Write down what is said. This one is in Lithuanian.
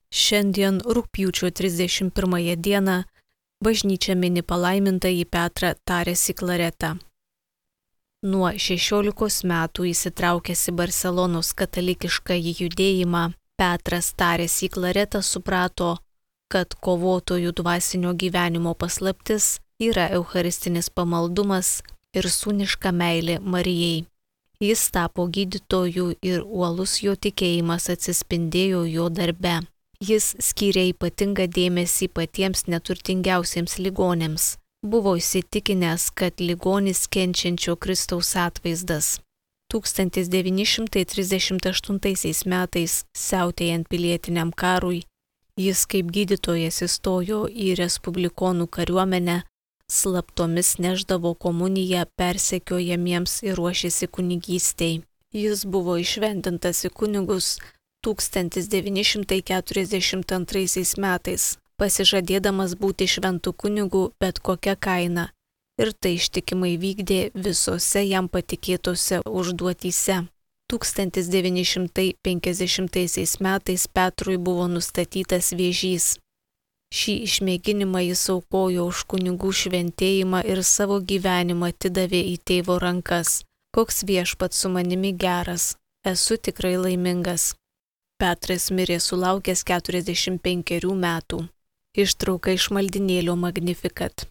Šiandien rugpjūčio 31 dieną bažnyčia mini palaimintąjį Petrą Tarėsi Klaretą. Nuo 16 metų įsitraukęs į Barselonos katalikiškąjį judėjimą, Petras Tarėsi Klaretą suprato, kad kovotojų dvasinio gyvenimo paslaptis yra eucharistinis pamaldumas ir sūniška meilė Marijai. Jis tapo gydytoju ir uolus jo tikėjimas atsispindėjo jo darbe. Jis skyrė ypatingą dėmesį patiems neturtingiausiems ligonėms. Buvo įsitikinęs, kad ligonis kenčiančio Kristaus atvaizdas. 1938 metais, siautėjant pilietiniam karui, jis kaip gydytojas įstojo į respublikonų kariuomenę, slaptomis neždavo komuniją persekiojamiems ir ruošėsi kunigystei. Jis buvo įšventintas į kunigus 1942 metais, pasižadėdamas būti šventų kunigų bet kokia kaina, ir tai ištikimai vykdė visose jam patikėtose užduotyse. 1950 metais Petrui buvo nustatytas vėžys. Šį išmėginimą jis aukojo už kunigų šventėjimą ir savo gyvenimą atidavė į tėvo rankas. Koks viešpats su manimi geras, esu tikrai laimingas. Petras mirė sulaukęs 45 metų. Ištrauka iš maldynėlio Magnificat.